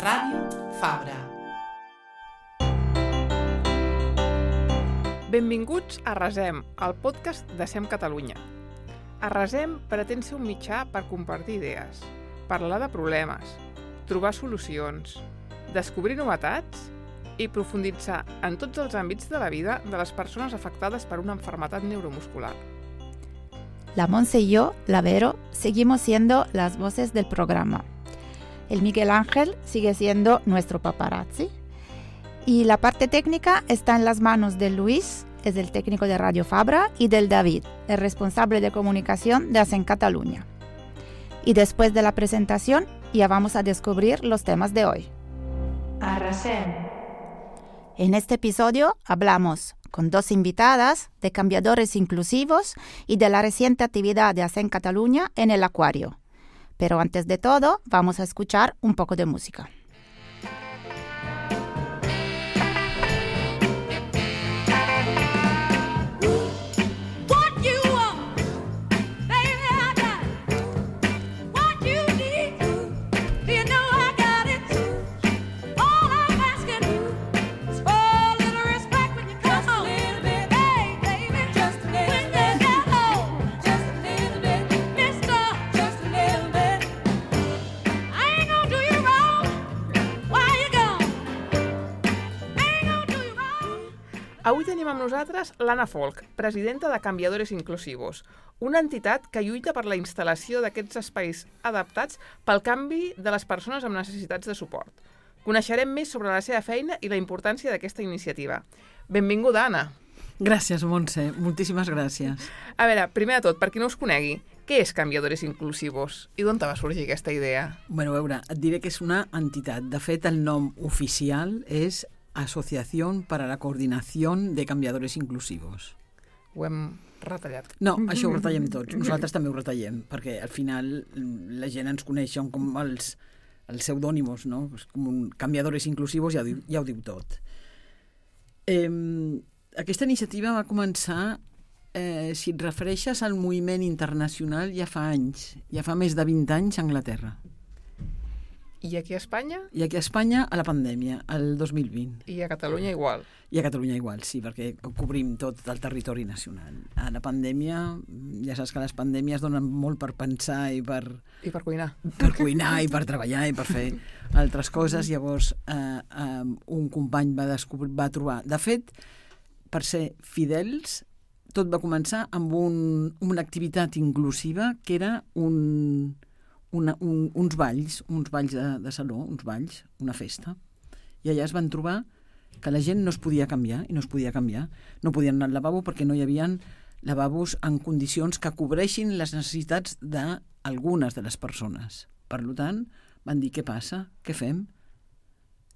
Ràdio Fabra. Benvinguts a Resem, el podcast de SEM Catalunya. A Resem pretén ser un mitjà per compartir idees, parlar de problemes, trobar solucions, descobrir novetats i profunditzar en tots els àmbits de la vida de les persones afectades per una malaltia neuromuscular. La Monse y yo, la Vero, seguimos siendo las voces del programa. El Miguel Ángel sigue siendo nuestro paparazzi. Y la parte técnica está en las manos de Luis, es el técnico de Radio Fabra, y del David, el responsable de comunicación de SEM Catalunya. Y después de la presentación, ya vamos a descubrir los temas de hoy. Arrasem. En este episodio hablamos con dos invitadas de cambiadores inclusivos y de la reciente actividad de SEM Catalunya en el acuario. Pero antes de todo, vamos a escuchar un poco de música. Avui tenim amb nosaltres l'Anna Folk, presidenta de Cambiadores Inclusivos, una entitat que lluita per la instal·lació d'aquests espais adaptats pel canvi de les persones amb necessitats de suport. Coneixerem més sobre la seva feina i la importància d'aquesta iniciativa. Benvinguda, Anna. Gràcies, Montse. Moltíssimes gràcies. A veure, primer de tot, per qui no us conegui, què és Cambiadores Inclusivos i d'on va sorgir aquesta idea? Bueno, a veure, et diré que és una entitat. De fet, el nom oficial és Asociación para la Coordinación de Cambiadores Inclusivos. Ho hem retallat. No, això ho retallem tots. Nosaltres també ho retallem, perquè al final la gent ens coneix com els pseudònimos, no? Com un Cambiadores Inclusivos ja ho diu tot. Aquesta iniciativa va començar, si et refereixes al moviment internacional, ja fa anys, ja fa més de 20 anys a Anglaterra. I aquí a Espanya? I aquí a Espanya, a la pandèmia, el 2020. I a Catalunya igual? I a Catalunya igual, sí, perquè cobrim tot el territori nacional. A la pandèmia, ja saps que les pandèmies donen molt per pensar i per... I per cuinar. Per cuinar i per treballar i per fer altres coses. Llavors, un company va trobar... De fet, per ser fidels, tot va començar amb una activitat inclusiva que era uns balls de saló, uns balls, una festa. I allà es van trobar que la gent no es podia canviar, i no es podia canviar. No podien anar al lavabo perquè no hi havia lavabos en condicions que cobreixin les necessitats d'algunes de les persones. Per tant, van dir, què passa? Què fem?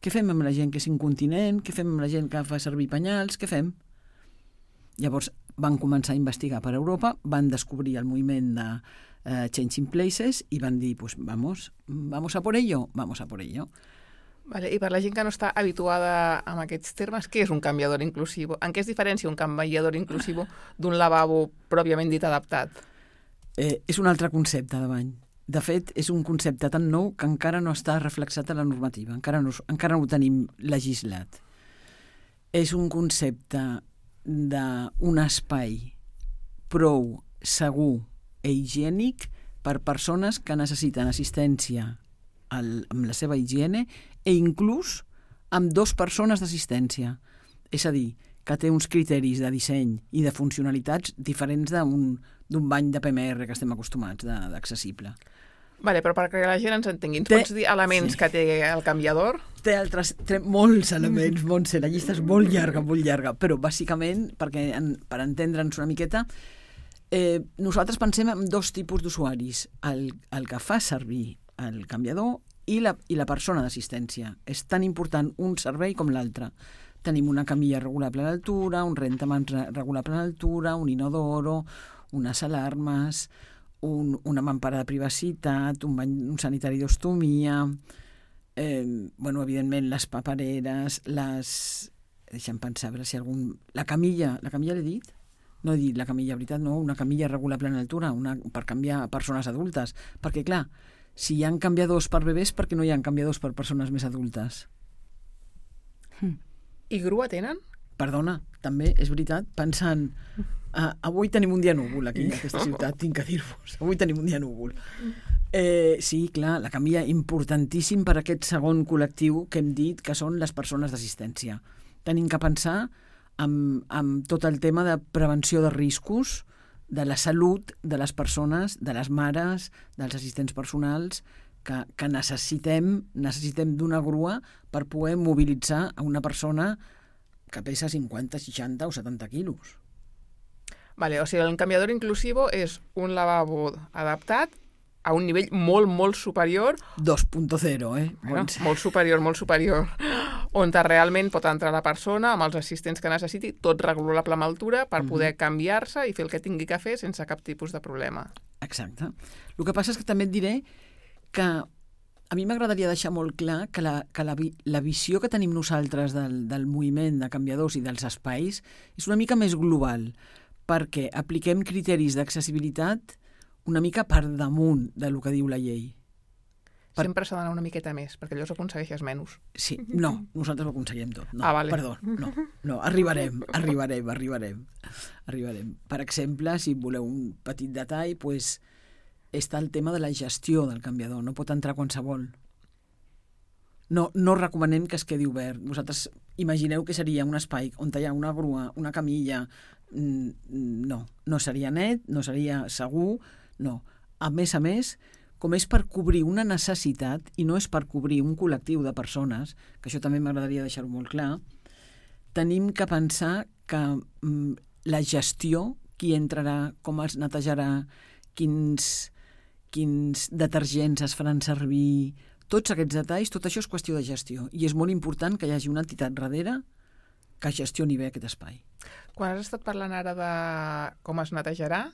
Què fem amb la gent que és incontinent? Què fem amb la gent que fa servir penyals? Què fem? Llavors van començar a investigar per Europa, van descobrir el moviment de Changing Places i van dir, pues vamos a por ello. Vale, i per la gent que no està habituada amb aquests termes, què és un canviador inclusiu? En què es diferencia un canviador inclusiu d'un lavabo pròpiament dit adaptat? És un altre concepte de bany. De fet, és un concepte tan nou que encara no està reflexat a la normativa, encara no ho tenim legislat. És un concepte d'un espai prou segur i higiènic per persones que necessiten assistència amb la seva higiene i inclús amb 2 persones d'assistència. És a dir, que té uns criteris de disseny i de funcionalitats diferents d'un bany de PMR que estem acostumats d'accessible. Vale, però perquè la gent ens entengui, ens pots dir elements que té el canviador? Té molts elements, Montse, la llista és molt llarga, però bàsicament, per entendre'ns una miqueta, nosaltres pensem en 2 tipus d'usuaris, el que fa servir el canviador i la persona d'assistència. És tan important un servei com l'altre. Tenim una camilla regulable a l'altura, un rentamans regulable a l'altura, un inodoro, unes alarmes, una mampara de privacitat, un sanitari d'ostomia, evidentment les papereres, deixa'm pensar, a veure si la camilla l'he dit? No he dit la camilla, veritat, no, una camilla regulable en altura, per canviar persones adultes, perquè clar, Si hi ha canviadors per bebès, per què no hi ha canviadors per persones més adultes? I grua tenen? Perdona, també, és veritat, pensant... avui tenim un dia núvol aquí, a aquesta ciutat, tinc que dir-vos. Avui tenim un dia núvol. Sí, clar, la canvia importantíssim per aquest segon col·lectiu que hem dit que són les persones d'assistència. Tenim que pensar amb tot el tema de prevenció de riscos, de la salut de les persones, de les mares, dels assistents personals, que necessitem d'una grua per poder mobilitzar a una persona que pesa 50, 60 o 70 quilos. Vale, o sigui, el canviador inclusivo és un lavabo adaptat a un nivell molt, molt superior. 2.0, Bueno, molt superior. On realment pot entrar la persona amb els assistents que necessiti, tot regulable amb altura, per poder canviar-se i fer el que tingui que fer sense cap tipus de problema. Exacte. El que passa és que també et diré que a mi m'agradaria deixar molt clar que la visió que tenim nosaltres del moviment de canviadors i dels espais és una mica més global, perquè apliquem criteris d'accessibilitat una mica per damunt del que diu la llei. Sempre s'ha d'anar una miqueta més, perquè llavors aconsegueixes menys. Sí, no, nosaltres ho aconseguim tot. No, vale. Perdó, no, arribarem. Per exemple, si voleu un petit detall, doncs està el tema de la gestió del canviador, no pot entrar qualsevol. No recomanem que es quedi obert. Vosaltres imagineu que seria un espai on hi ha una grua, una camilla. No seria net, no seria segur, no. A més, com és per cobrir una necessitat i no és per cobrir un col·lectiu de persones, que això també m'agradaria deixar-ho molt clar, tenim que pensar que la gestió, qui entrarà, com els netejarà, quins detergents es faran servir, tots aquests detalls, tot això és qüestió de gestió. I és molt important que hi hagi una entitat darrere que gestioni bé aquest espai. Quan has estat parlant ara de com es netejarà,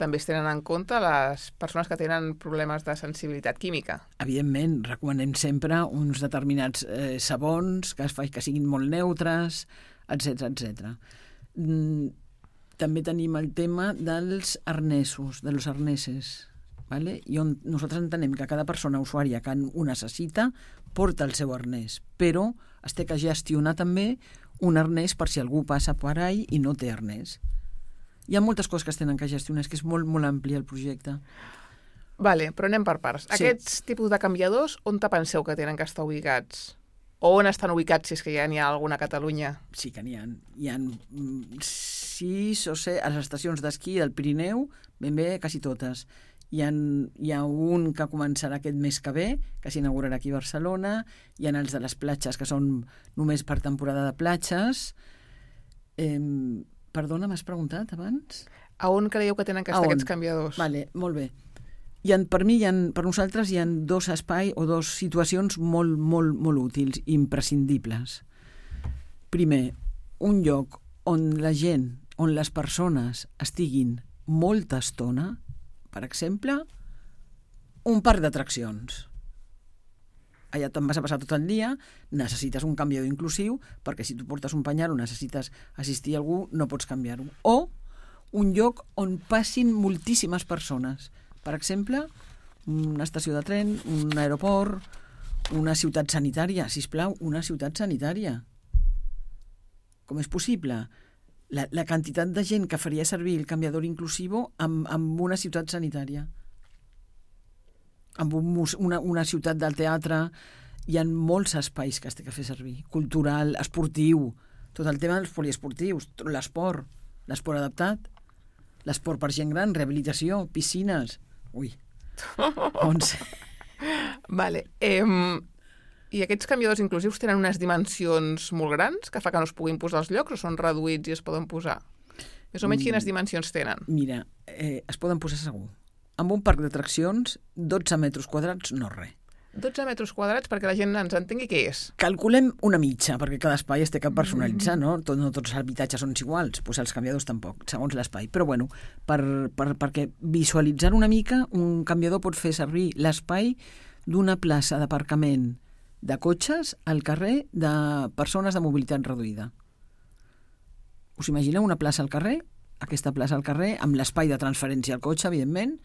també es tenen en compte les persones que tenen problemes de sensibilitat química. Evidentment, recomanem sempre uns determinats sabons que siguin molt neutres, etc. També tenim el tema dels arnesos, de los arneses, ¿vale? I on nosaltres entenem que cada persona usuària que ho necessita porta el seu arnès, però es té que gestionar també un arnès per si algú passa per ahí i no té arnès. Hi ha moltes coses que es tenen que gestionar, és que és molt, molt ampli el projecte. Vale, però anem per parts. Sí. Aquests tipus de canviadors, on te penseu que tenen que estar ubicats? O on estan ubicats, si és que ja n'hi ha alguna a Catalunya? Sí que n'hi ha. Hi ha 6 o 7 a les estacions d'esquí del Pirineu, ben bé, quasi totes. Hi ha un que començarà aquest mes que ve, que s'inaugurarà aquí a Barcelona. Hi ha els de les platges, que són només per temporada de platges. Perdona, m'has preguntat abans? A on creieu que tenen que estar aquests canviadors? Vale, molt bé. Per nosaltres hi ha dos espais o dos situacions molt, molt, molt útils, imprescindibles. Primer, un lloc on la gent, on les persones estiguin molta estona, per exemple, un parc d'atraccions. Allà te'n vas a passar tot el dia, necessites un canviador inclusiu, perquè si tu portes un penyal o necessites assistir a algú, no pots canviar-ho. O un lloc on passin moltíssimes persones. Per exemple, una estació de tren, un aeroport, una ciutat sanitària. Sisplau, una ciutat sanitària. Com és possible? La quantitat de gent que faria servir el canviador inclusivo amb una ciutat sanitària. Amb una ciutat del teatre. Hi ha molts espais que es té que fer servir. Cultural, esportiu, tot el tema dels poliesportius, l'esport adaptat, l'esport per gent gran, rehabilitació, piscines... Ui, Vale. I aquests canviadors inclusius tenen unes dimensions molt grans que fa que no es puguin posar als llocs o són reduïts i es poden posar? Més o menys quines dimensions tenen? Mira, es poden posar segur. Amb un parc d'atraccions, 12 metres quadrats no res. 12 metres quadrats perquè la gent ens entengui què és. Calculem una mitja, perquè cada espai es té que personalitzar, no? No tots els habitatges són iguals, doncs els canviadors tampoc, segons l'espai. Però bueno, perquè visualitzar una mica, un canviador pot fer servir l'espai d'una plaça d'aparcament de cotxes al carrer de persones de mobilitat reduïda. Us imagineu una plaça al carrer? Aquesta plaça al carrer, amb l'espai de transferència al cotxe, evidentment,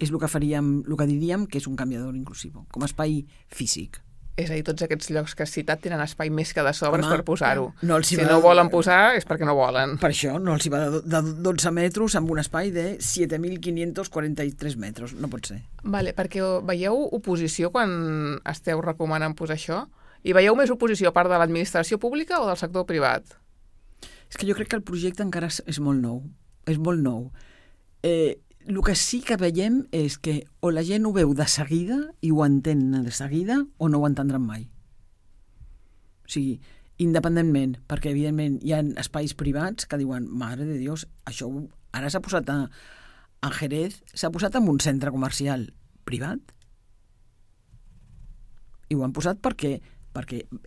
és el que faríem, el que diríem que és un canviador inclusiu, com a espai físic. És a dir, tots aquests llocs que has citat tenen espai més que de sobres per posar-ho. Si va no volen posar és perquè no volen. Per això no els hi va de 12 metres amb un espai de 7.543 metres. No pot ser. Vale, perquè veieu oposició quan esteu recomanant posar això? I veieu més oposició a part de l'administració pública o del sector privat? És que jo crec que el projecte encara és molt nou. És molt nou. El que sí que veiem és que o la gent ho veu de seguida i ho entén de seguida o no ho entendran mai. O sigui, independentment, perquè evidentment hi ha espais privats que diuen, mare de Dios, això ara s'ha posat a Jerez, s'ha posat en un centre comercial privat i ho han posat perquè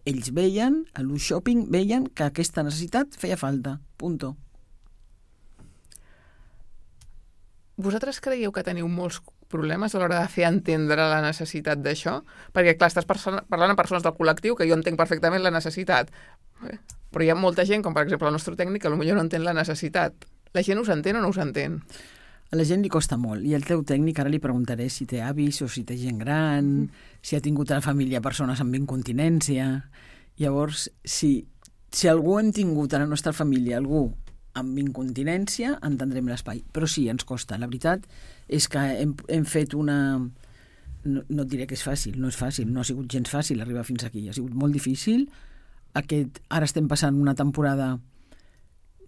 ells veien, a l'ús shopping, veien que aquesta necessitat feia falta. Punto. Vosaltres creieu que teniu molts problemes a l'hora de fer entendre la necessitat d'això? Perquè, clar, estàs parlant amb persones del col·lectiu que jo entenc perfectament la necessitat. Però hi ha molta gent, com per exemple el nostre tècnic, que potser no entén la necessitat. La gent us entén o no us entén? A la gent li costa molt. I el teu tècnic ara li preguntaré si té avis o si té gent gran, si ha tingut a la família persones amb incontinència. Llavors, si algú hem tingut a la nostra família, algú amb incontinència, entendrem l'espai. Però sí, ens costa. La veritat és que hem fet una... No et diré que és fàcil, no és fàcil, no ha sigut gens fàcil arribar fins aquí. Ha sigut molt difícil. Ara estem passant una temporada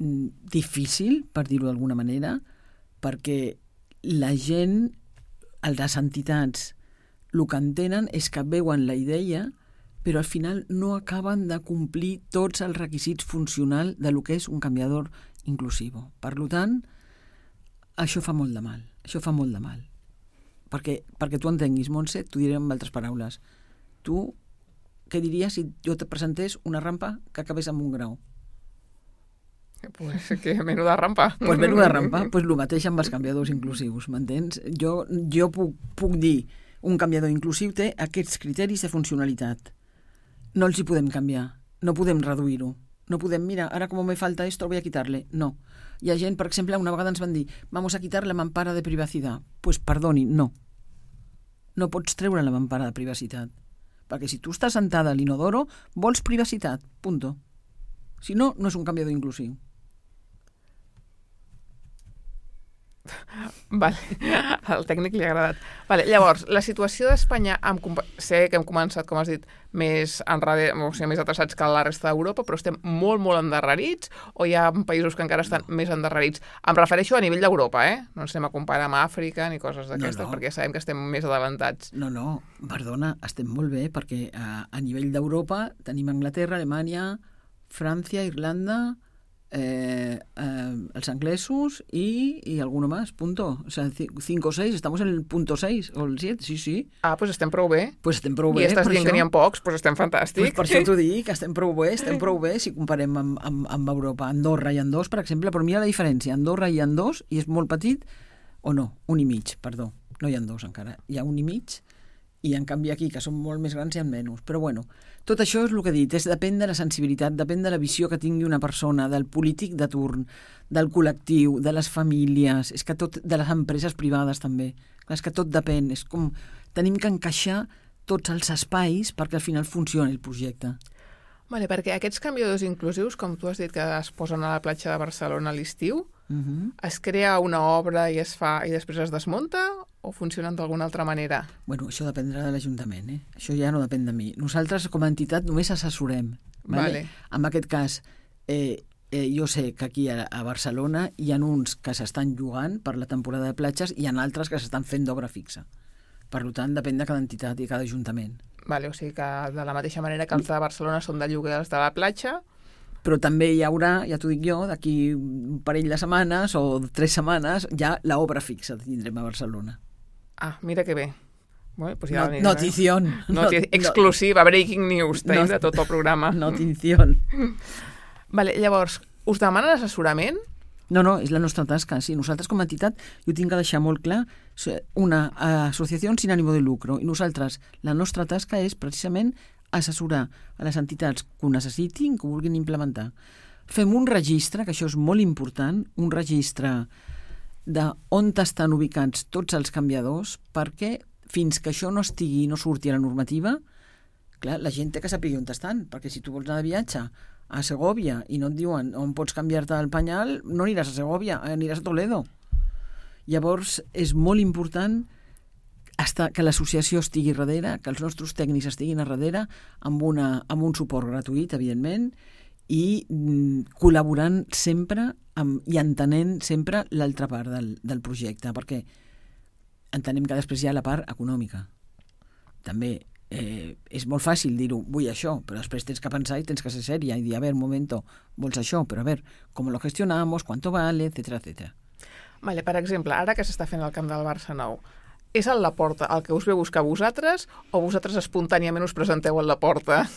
difícil, per dir-ho d'alguna manera, perquè la gent, les entitats, el que entenen és que veuen la idea però al final no acaben de complir tots els requisits funcionals de lo que és un canviador inclusiu. Per tant, això fa molt de mal. Això fa molt de mal. Perquè tu entenguis, Montse, t'ho diré amb altres paraules. Tu, què diries si jo te presentés una rampa que acabés amb un grau? Pues que menuda rampa. Pues menuda rampa. Pues el mateix amb els canviadors inclusius, m'entens? Jo puc dir, un canviador inclusiu té aquests criteris de funcionalitat. No els hi podem canviar, no podem reduir-ho. No podem, mira, ara com me falta esto, voy a quitarle. No. Hi ha gent, per exemple, una vegada ens van dir vamos a quitar la mampara de privacidad. Pues perdoni, no. No pots treure la mampara de privacitat. Perquè si tu estàs sentada a l'inodoro, vols privacitat, punto. Si no, no és un canviador inclusiu. Vale. Al tècnic li ha agradat. Vale. Llavors, la situació d'Espanya, sé que hem començat, com has dit, més atrasats que la resta d'Europa, però estem molt, molt endarrerits, o hi ha països que encara estan més endarrerits? Em refereixo a nivell d'Europa, no ens anem a comparar amb Àfrica ni coses d'aquestes, perquè sabem que estem més adelantats. No, perdona, estem molt bé, perquè a nivell d'Europa tenim Anglaterra, Alemanya, França, Irlanda, els anglesos y alguno más, punto. O sea, 5 o 6, estamos en el punto 6 o el 7, sí. Ah, pues estem prou bé. Pues estem prou bé. I estàs dient que n'hi ha pocs, pues estem fantàstics. Pues per això t'ho dic, que estem prou bé si comparem amb Europa. Andorra hi ha 2, per exemple, però mira la diferència. Andorra hi ha 2 i és molt petit, o no, 1,5, perdó. No hi ha 2 encara, hi ha 1,5 i en canvi aquí, que són molt més grans, hi ha menys. Però bueno, tot això és el que he dit, depèn de la sensibilitat, depèn de la visió que tingui una persona, del polític de turn, del col·lectiu, de les famílies, és que tot, de les empreses privades també. És que tot depèn, és com tenim que encaixar tots els espais perquè al final funcioni el projecte. Vale, perquè aquests canviadors inclusius, com tu has dit que es posen a la platja de Barcelona a l'estiu, es crea una obra i es fa i després es desmunta o funcionen d'alguna altra manera? Bueno, això dependrà de l'Ajuntament, Això ja no depèn de mi. Nosaltres, com a entitat, només assessorem. Vale? En aquest cas, jo sé que aquí a Barcelona hi ha uns que s'estan llogant per la temporada de platges i hi ha altres que s'estan fent d'obra fixa. Per tant, depèn de cada entitat i cada ajuntament. Vale, o sigui que de la mateixa manera que els de Barcelona són de lloguer els de la platja... Però també hi haurà, ja t'ho dic jo, d'aquí un parell de setmanes o 3 setmanes, ja l'obra fixa tindrem a Barcelona. Ah, mira que bé. Bueno, pues ja Notición. Exclusiva, breaking news, tenim de tot el programa. Notición. Vale, llavors, us demanen assessorament? No, és la nostra tasca. Sí, nosaltres com a entitat, jo tinc que deixar molt clar, una associació sin ánimo de lucro, i nosaltres, la nostra tasca és precisament assessorar a les entitats que ho necessitin, que ho vulguin implementar. Fem un registre, que això és molt important, un registre d'on estan ubicats tots els canviadors, perquè fins que això no surti a la normativa, clar, la gent té que saber on estan, perquè si tu vols anar de viatge a Segòvia i no et diuen on pots canviar-te el penyal, no aniràs a Segòvia, aniràs a Toledo. Llavors, és molt important que l'associació estigui darrere, que els nostres tècnics estiguin a darrere, amb un suport gratuït, evidentment, i col·laborant sempre i entenent sempre l'altra part del projecte, perquè entenem que després hi ha la part econòmica. També és molt fàcil dir-ho, vull això, però després tens que pensar i tens que ser sèria i dir, a ver, un momento, vols això, però a ver, com lo gestionamos, cuánto vale, etcétera, etcétera. Vale, per exemple, ara que s'està fent el camp del Barça nou, és al Laporta el que us ve a buscar vosaltres o vosaltres espontàniament us presenteu al Laporta?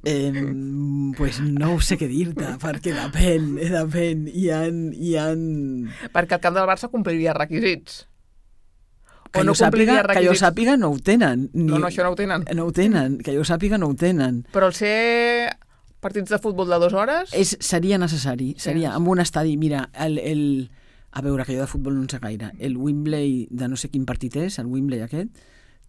Pues no ho sé què dir-te, perquè depèn. Hi ha... Perquè el camp del Barça compliria requisits. Que jo sàpiga no ho tenen. No, això no ho tenen. No ho tenen, que jo sàpiga no ho tenen. Però el ser partits de futbol de 2 hores... Seria necessari, seria amb un estadi. Mira, a veure, que jo de futbol no en sé gaire. El Wembley, de no sé quin partit és, el Wembley aquest,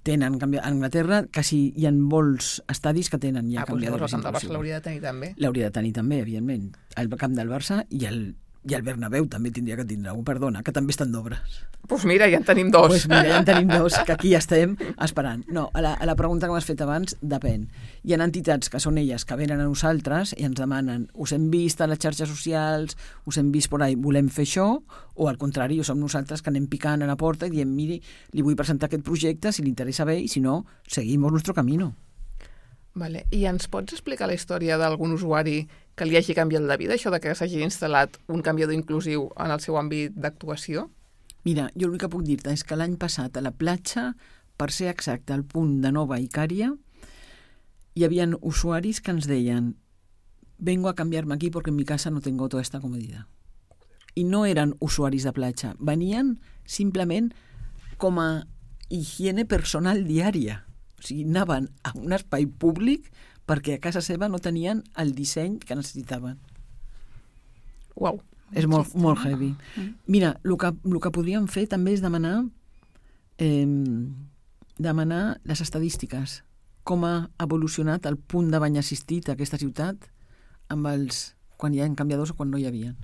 tenen a Anglaterra, quasi hi ha molts estadis que tenen ja canviadors. Doncs el camp del Barça l'hauria de tenir també. L'hauria de tenir també, evidentment. El camp del Barça i el Bernabéu també tindria que tindre, perdona, que també estan d'obres. Doncs mira, ja en tenim 2. Doncs mira, ja en tenim 2, que aquí estem esperant. No, a la pregunta que m'has fet abans, depèn. Hi ha entitats que són elles que venen a nosaltres i ens demanen, us hem vist a les xarxes socials, us hem vist por ahí, volem fer això, o al contrari, som nosaltres que anem picant a la porta i diem, miri, li vull presentar aquest projecte, si li interessa bé, i si no, seguimos nuestro camino. Vale. I ens pots explicar la història d'algun usuari que li hagi canviat la vida, això de que s'hagi instal·lat un canviador inclusiu en el seu àmbit d'actuació? Mira, jo l'únic que puc dir-te és que l'any passat a la platja, per ser exacte, al punt de Nova Icària, hi havia usuaris que ens deien vengo a cambiarme aquí porque en mi casa no tengo toda esta comodidad. I no eren usuaris de platja, venien simplement com a higiene personal diària. O sigui, anaven a un espai públic perquè a casa seva no tenien el disseny que necessitaven. Uau. És molt heavy. Mira, el que podríem fer també és demanar les estadístiques, com ha evolucionat el punt de bany assistit a aquesta ciutat quan hi ha canviadors o quan no hi havia.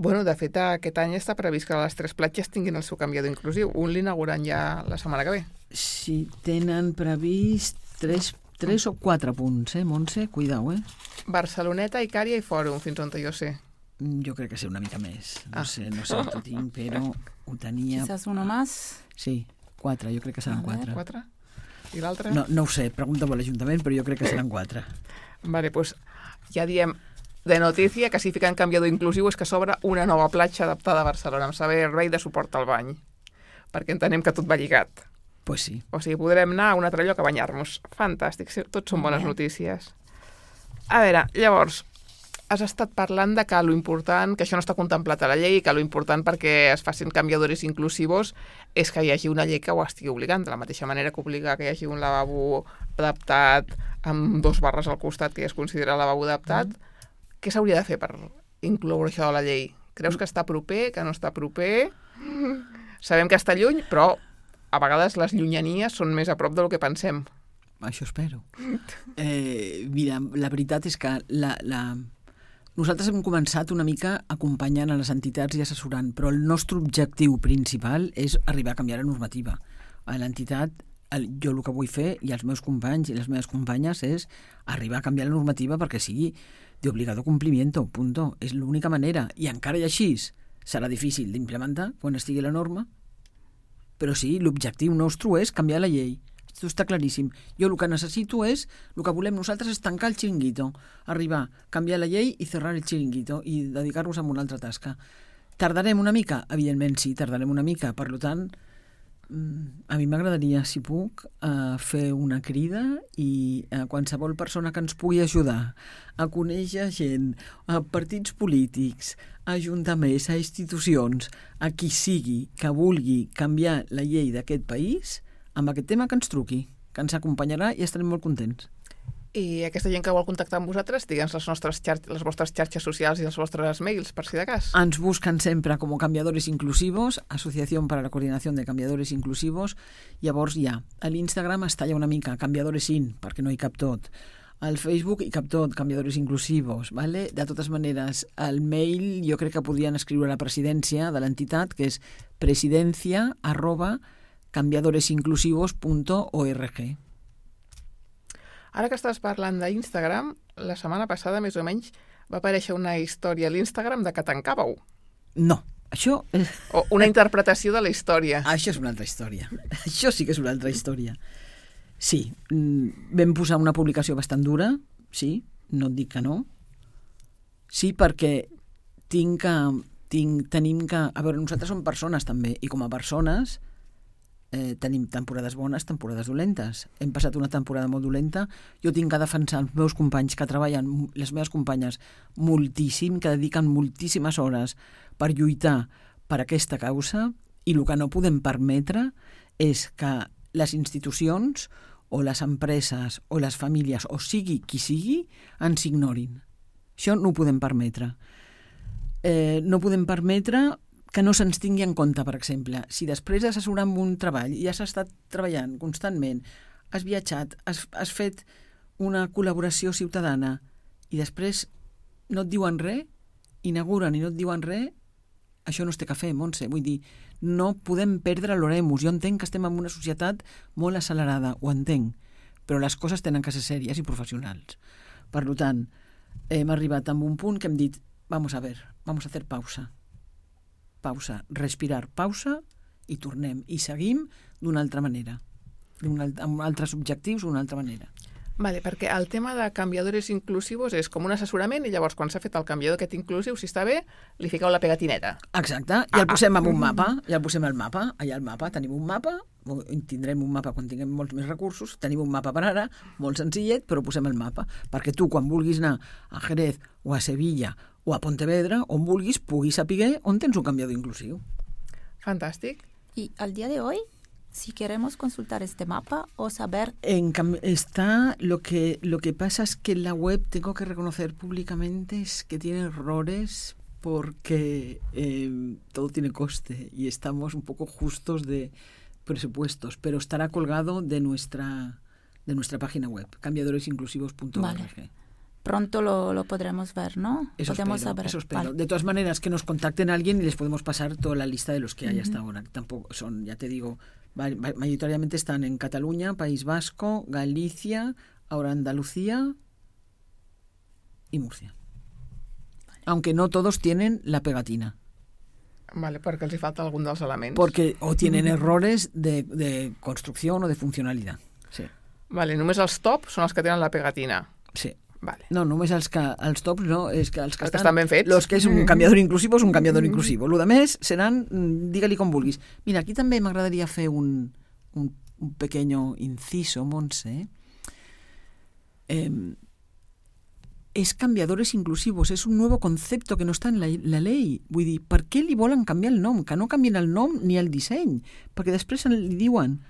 Bueno, de fet, aquest any està previst que les 3 platges tinguin el seu canviador inclusiu. Un l'inauguran ja la setmana que ve. Sí, tenen previst 3 o 4 punts, Montse? Cuidao, Barceloneta, Icària i Fòrum, fins on jo sé. Jo crec que sé una mica més. No sé on ho tinc, però ho tenia... Quizás uno más. Sí, 4, jo crec que seran 4. 4? I l'altre? No ho sé, pregunta-ho a l'Ajuntament, però jo crec que seran 4. Vale, doncs ja diem de notícia que si fiquen canviador inclusiu és que s'obre una nova platja adaptada a Barcelona amb servei de suport al bany, perquè entenem que tot va lligat. Pues sí. O sigui, podrem anar a un altre lloc a banyar-nos. Fantàstic, tots són bones notícies. A veure, llavors, has estat parlant de que lo important, que això no està contemplat a la llei, que lo important perquè es facin canviadors inclusivos és que hi hagi una llei que ho estigui obligant, de la mateixa manera que obliga que hi hagi un lavabo adaptat amb 2 barres al costat que ja es considera lavabo adaptat. Què s'hauria de fer per incloure això a la llei? Creus que està proper, que no està proper? Sabem que està lluny, però a vegades les llunyanies són més a prop del que pensem. Això espero. Mira, la veritat és que nosaltres hem començat una mica acompanyant a les entitats i assessorant, però el nostre objectiu principal és arribar a canviar la normativa. A l'entitat, jo el que vull fer, i els meus companys i les meves companyes, és arribar a canviar la normativa perquè sigui d'obligado complimiento, punto. És l'única manera. I encara i així serà difícil d'implementar quan estigui la norma, però sí, l'objectiu nostre és canviar la llei. Això està claríssim. Jo el que necessito és, el que volem nosaltres és tancar el xiringuito, arribar, canviar la llei i cerrar el xiringuito i dedicar-nos a una altra tasca. Tardarem una mica? Evidentment sí, tardarem una mica. Per tant, a mi m'agradaria, si puc, fer una crida i a qualsevol persona que ens pugui ajudar a conèixer gent, a partits polítics, a ajuntaments, a institucions, a qui sigui que vulgui canviar la llei d'aquest país, amb aquest tema que ens truqui, que ens acompanyarà i estarem molt contents. I aquesta gent que vol contactar amb vosaltres, digue'ns les vostres xarxes socials i els vostres mails, per si de cas. Ens busquen sempre com Cambiadores Inclusivos, Associació per a la Coordinació de Cambiadores Inclusivos. Llavors ja, a l'Instagram es talla una mica, Cambiadores In, perquè no hi cap tot. Al Facebook hi cap tot, Cambiadores Inclusivos, ¿vale? De totes maneres, al mail jo crec que podrien escriure a la presidència de l'entitat, que és presidencia@cambiadoresinclusivos.org. Ara que estàs parlant d'Instagram, la setmana passada, més o menys, va aparèixer una història a l'Instagram de que tancàveu. No, això... O una interpretació de la història. Això és una altra història. Això sí que és una altra història. Sí, vam posar una publicació bastant dura, sí, no et dic que no. Sí, perquè tenim que... A veure, nosaltres som persones també, i com a persones tenim temporades bones, temporades dolentes. Hem passat una temporada molt dolenta. Jo tinc que defensar els meus companys que treballen, les meves companyes, moltíssim, que dediquen moltíssimes hores per lluitar per aquesta causa, i el que no podem permetre és que les institucions o les empreses o les famílies, o sigui qui sigui, ens ignorin. Això no ho podem permetre. No podem permetre que no se'ns tingui en compte, per exemple. Si després d'assessorar amb un treball i has estat treballant constantment, has viatjat, has fet una col·laboració ciutadana i després no et diuen res, inauguren i no et diuen res, això no es té que fer, Montse. Vull dir, no podem perdre l'oremus. Jo entenc que estem en una societat molt accelerada, ho entenc, però les coses tenen que ser sèries i professionals. Per tant, hem arribat a un punt que hem dit, vamos a hacer pausa, respirar, pausa, i tornem. I seguim d'una altra manera, amb altres objectius d'una altra manera. Vale, perquè el tema de canviadores inclusivos és com un assessorament i llavors quan s'ha fet el canviador aquest inclusiu, si està bé, li fiqueu la pegatineta. Exacte, i el posem en un mapa, i el posem al mapa. Allà al mapa tenim un mapa, tindrem un mapa quan tinguem molts més recursos, tenim un mapa per ara, molt senzillet, però posem el mapa, perquè tu quan vulguis anar a Jerez o a Sevilla o a Pontevedra, on vulguis, puguis saber on tens un canviador inclusiu. Fantàstic. Y al día de hoy, si queremos consultar este mapa o saber... Lo que pasa es que la web, tengo que reconocer públicamente, es que tiene errores porque todo tiene coste y estamos un poco justos de presupuestos, pero estará colgado de nuestra página web, cambiadoresinclusivos.org. Vale. Pronto lo podremos ver, ¿no? Eso espero. Vale. De todas maneras, que nos contacten a alguien y les podemos pasar toda la lista de los que hay hasta ahora. Tampoco son, ya te digo, mayoritariamente están en Cataluña, País Vasco, Galicia, ahora Andalucía y Murcia. Aunque no todos tienen la pegatina. Vale, perquè els hi falta algun dels elements. Porque o tienen errores de construcción o de funcionalidad. Sí. Vale, només els top són els que tenen la pegatina. Sí. Vale. No, només els tops no, és que els que estan ben fets. Los que és un canviador inclusivo és un canviador inclusivo. Lo de més seran, digue-li com vulguis. Mira, aquí també m'agradaria fer un pequeño inciso, Montse. Es cambiadores inclusivos, es un nuevo concepto que no està en la ley. Vull dir, per què li volen canviar el nom? Que no canvien el nom ni el disseny, perquè després li diuen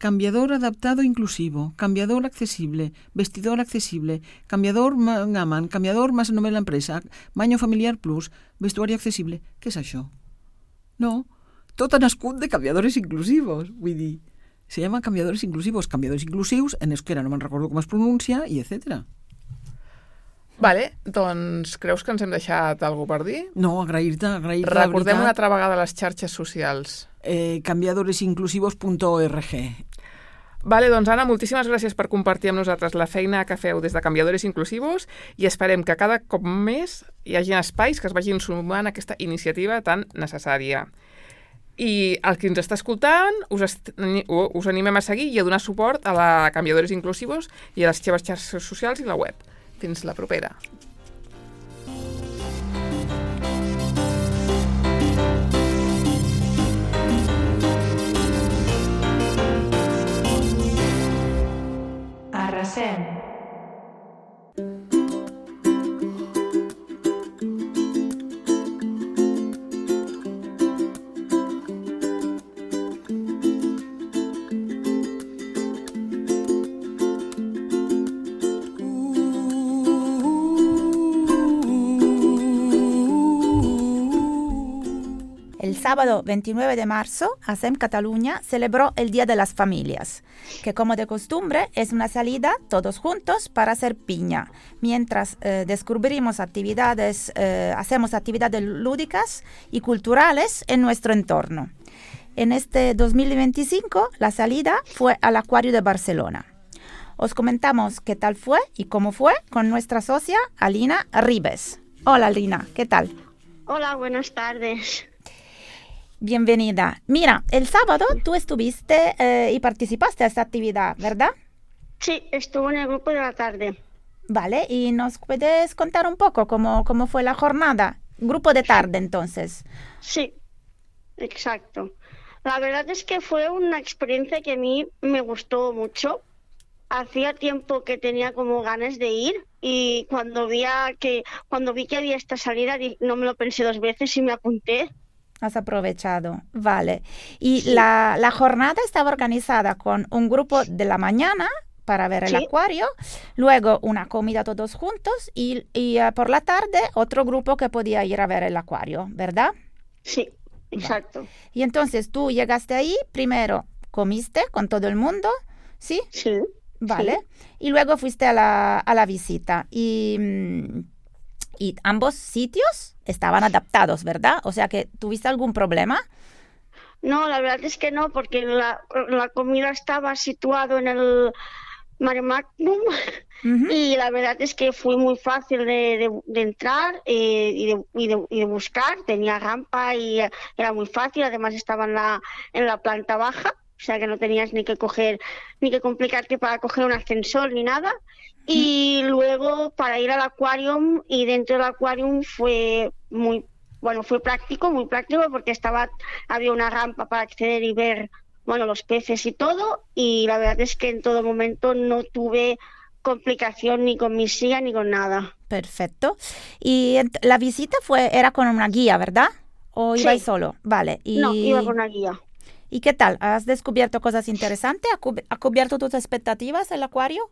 cambiador adaptado inclusivo, cambiador accesible, vestidor accesible, cambiador Gaman, cambiador más només l'empresa, baño familiar plus, vestuari accesible. Què és això? No, tot ha nascut de cambiadores inclusivos. Vull dir, se llama cambiadores inclusivos, cambiadors inclusius, en euskera no me'n recordo com es pronuncia, i etc. Vale, doncs creus que ens hem deixat alguna per dir? No, agrair-te Recordem una altra vegada les xarxes socials. Cambiadoresinclusivos.org. Vale, doncs Anna, moltíssimes gràcies per compartir amb nosaltres la feina que feu des de Cambiadores Inclusivos i esperem que cada cop més hi hagi espais que es vagin sumant a aquesta iniciativa tan necessària. I el que ens està escoltant, us animem a seguir i a donar suport a la Cambiadores Inclusivos i a les seves xarxes socials i la web. Fins la propera. Arrasem. sábado 29 de marzo, ASEM Cataluña celebró el Día de las Familias, que como de costumbre es una salida todos juntos para hacer piña, mientras descubrimos hacemos actividades lúdicas y culturales en nuestro entorno. En este 2025, la salida fue al Acuario de Barcelona. Os comentamos qué tal fue y cómo fue con nuestra socia Alina Ribes. Hola Alina, ¿qué tal? Hola, buenas tardes. Bienvenida. Mira, el sábado tú estuviste y participaste a esta actividad, ¿verdad? Sí, estuve en el grupo de la tarde. Vale, ¿y nos puedes contar un poco cómo fue la jornada? Grupo de tarde, entonces. Sí, exacto. La verdad es que fue una experiencia que a mí me gustó mucho. Hacía tiempo que tenía como ganas de ir y cuando vi que había esta salida no me lo pensé dos veces y me apunté. Has aprovechado, vale. Y Sí. la jornada estaba organizada con un grupo de la mañana para ver el Sí. acuario, luego una comida todos juntos y por la tarde otro grupo que podía ir a ver el acuario, ¿verdad? Sí, exacto. Y entonces tú llegaste ahí, primero comiste con todo el mundo, ¿sí? Sí. Vale. Sí. Y luego fuiste a la visita y ambos sitios estaban adaptados, ¿verdad? O sea que ¿tuviste algún problema? No, la verdad es que no, porque la comida estaba situado en el Mare Magnum. Ujú. Y la verdad es que fue muy fácil de entrar y de buscar. Tenía rampa y era muy fácil. Además estaba en la planta baja, o sea que no tenías ni que complicarte para coger un ascensor ni nada. Y luego para ir al acuarium, y dentro del acuarium fue muy práctico porque había una rampa para acceder y ver los peces y todo. Y la verdad es que en todo momento no tuve complicación ni con mi silla ni con nada. Perfecto. Y la visita era con una guía, ¿verdad? ¿O Sí. ibais solo? Vale. No, iba con una guía. ¿Y qué tal? ¿Has descubierto cosas interesantes? ¿Ha cubierto tus expectativas el acuario?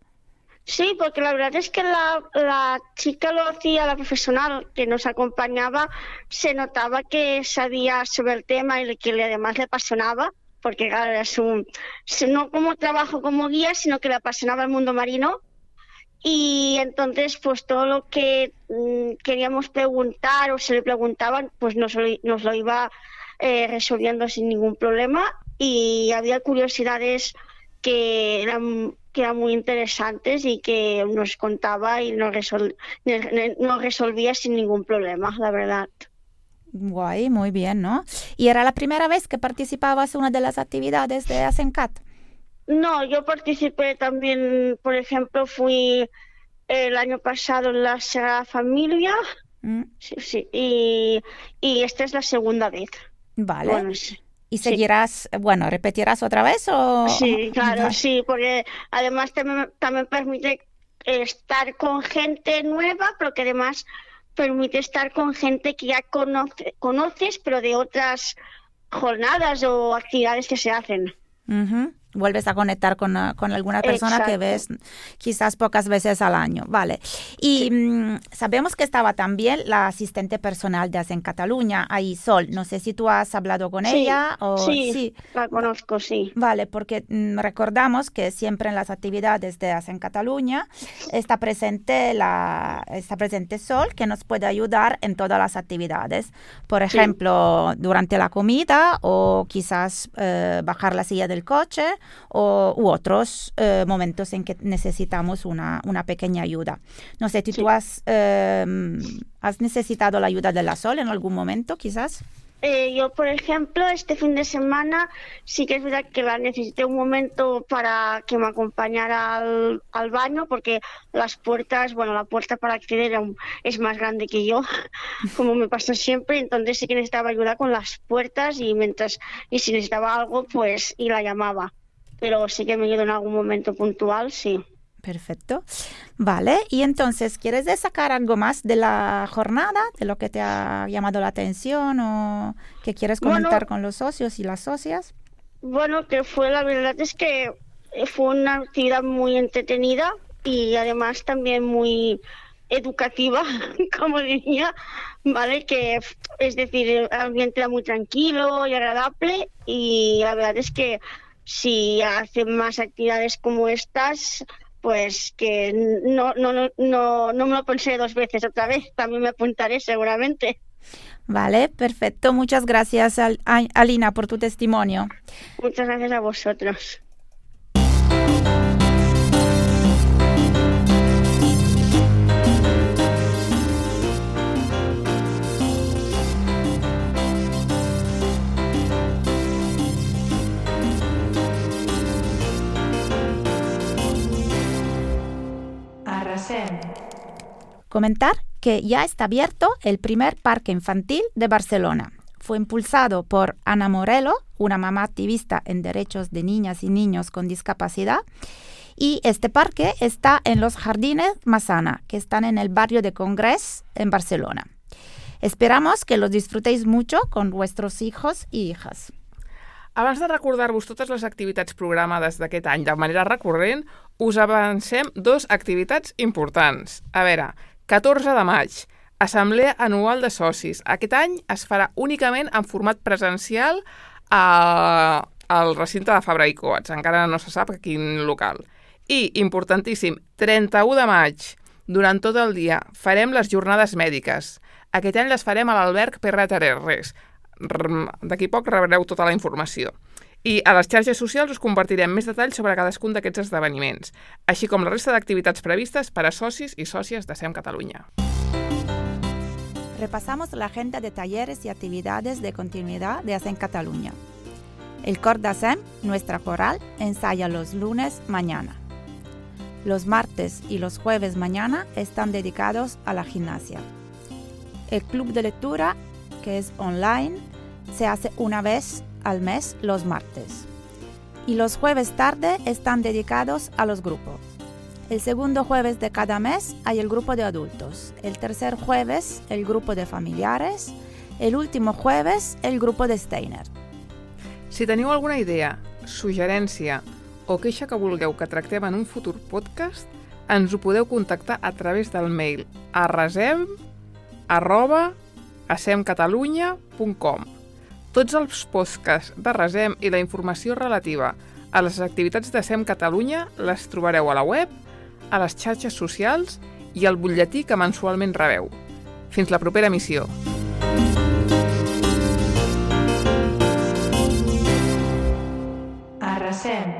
Sí, porque la verdad es que la chica lo hacía, la profesional que nos acompañaba, se notaba que sabía sobre el tema y que además le apasionaba, porque claro, no como trabajo como guía, sino que le apasionaba el mundo marino. Y entonces, pues todo lo que queríamos preguntar o se le preguntaban, pues nos lo iba resolviendo sin ningún problema. Y había curiosidades que eran muy interesantes y que nos contaba y nos resolvía sin ningún problema, la verdad. Guay, muy bien, ¿no? ¿Y era la primera vez que participabas en una de las actividades de ASENCAT? No, yo participé también, por ejemplo, fui el año pasado en la Sagrada Familia, sí, y esta es la segunda vez. Vale. Bueno, sí. ¿Y seguirás, repetirás otra vez o...? Sí, claro, Vale. sí, porque además también permite estar con gente nueva, pero que además permite estar con gente que ya conoces, pero de otras jornadas o actividades que se hacen. Ujú. Vuelves a conectar con alguna persona que ves quizás pocas veces al año. Vale. Y sabemos que estaba también la asistente personal de ASEM Cataluña, ahí Sol. No sé si tú has hablado con ella o... Sí, la conozco, sí. Vale, porque recordamos que siempre en las actividades de ASEM Cataluña está presente Sol, que nos puede ayudar en todas las actividades. Por ejemplo, durante la comida o quizás bajar la silla del coche u otros momentos en que necesitamos una pequeña ayuda. No sé, ¿tú has necesitado la ayuda de la Sol en algún momento, quizás? Yo, por ejemplo, este fin de semana sí que es verdad que la necesité un momento para que me acompañara al baño, porque la puerta para acceder es más grande que yo, como me pasa siempre. Entonces sí que necesitaba ayuda con las puertas y si necesitaba algo, pues y la llamaba. Pero sí que me ayudó en algún momento puntual, sí. Perfecto. Vale, y entonces, ¿quieres destacar algo más de la jornada, de lo que te ha llamado la atención o que quieres comentar con los socios y las socias? Bueno, la verdad es que fue una actividad muy entretenida y además también muy, educativa, como diría, ¿vale? Que es decir, el ambiente era muy tranquilo y agradable, y la verdad es que si hacen más actividades como estas, pues que no me lo pensé 2 veces otra vez, también me apuntaré seguramente. Vale, perfecto. Muchas gracias, Alina, por tu testimonio. Muchas gracias a vosotros. Arrasem. Comentar que ya está abierto el primer parque infantil de Barcelona. Fue impulsado por Ana Morelo, una mamá activista en derechos de niñas y niños con discapacidad. Y este parque está en los Jardines Massana, que están en el barrio de Congrés, en Barcelona. Esperamos que los disfrutéis mucho con vuestros hijos y hijas. Abans de recordar-vos totes les activitats programades d'aquest any de manera recurrent, us avancem 2 activitats importants. A veure, 14 de maig, Assemblea Anual de Socis. Aquest any es farà únicament en format presencial al recinte de Fabra i Coats. Encara no se sap a quin local. I, importantíssim, 31 de maig, durant tot el dia, farem les jornades mèdiques. Aquest any les farem a l'alberg Perraterres. D'aquí poc rebreu tota la informació. I a les xarxes socials us compartirem més detalls sobre cadascun d'aquests esdeveniments, així com la resta d'activitats previstes per a socis i sòcies de SEM Catalunya. Repasamos la agenda de talleres y actividades de continuidad de ASEM Cataluña. El cor de ASEM, nuestra coral, ensaya los lunes mañana. Los martes y los jueves mañana están dedicados a la gimnasia. El club de lectura, que es online, se hace una vez al mes los martes. Y los jueves tarde están dedicados a los grupos. El segundo jueves de cada mes hay el grupo de adultos. El tercer jueves, el grupo de familiares. El último jueves, el grupo de Steiner. Si teniu alguna idea, suggerència o queixa que vulgueu que tractem en un futur podcast, ens ho podeu contactar a través del mail arrasem@asemcatalunya.com. Tots els podcasts de Rasem i la informació relativa a les activitats de SEM Catalunya les trobareu a la web, a les xarxes socials i al butlletí que mensualment rebeu. Fins la propera emissió. Arrasem.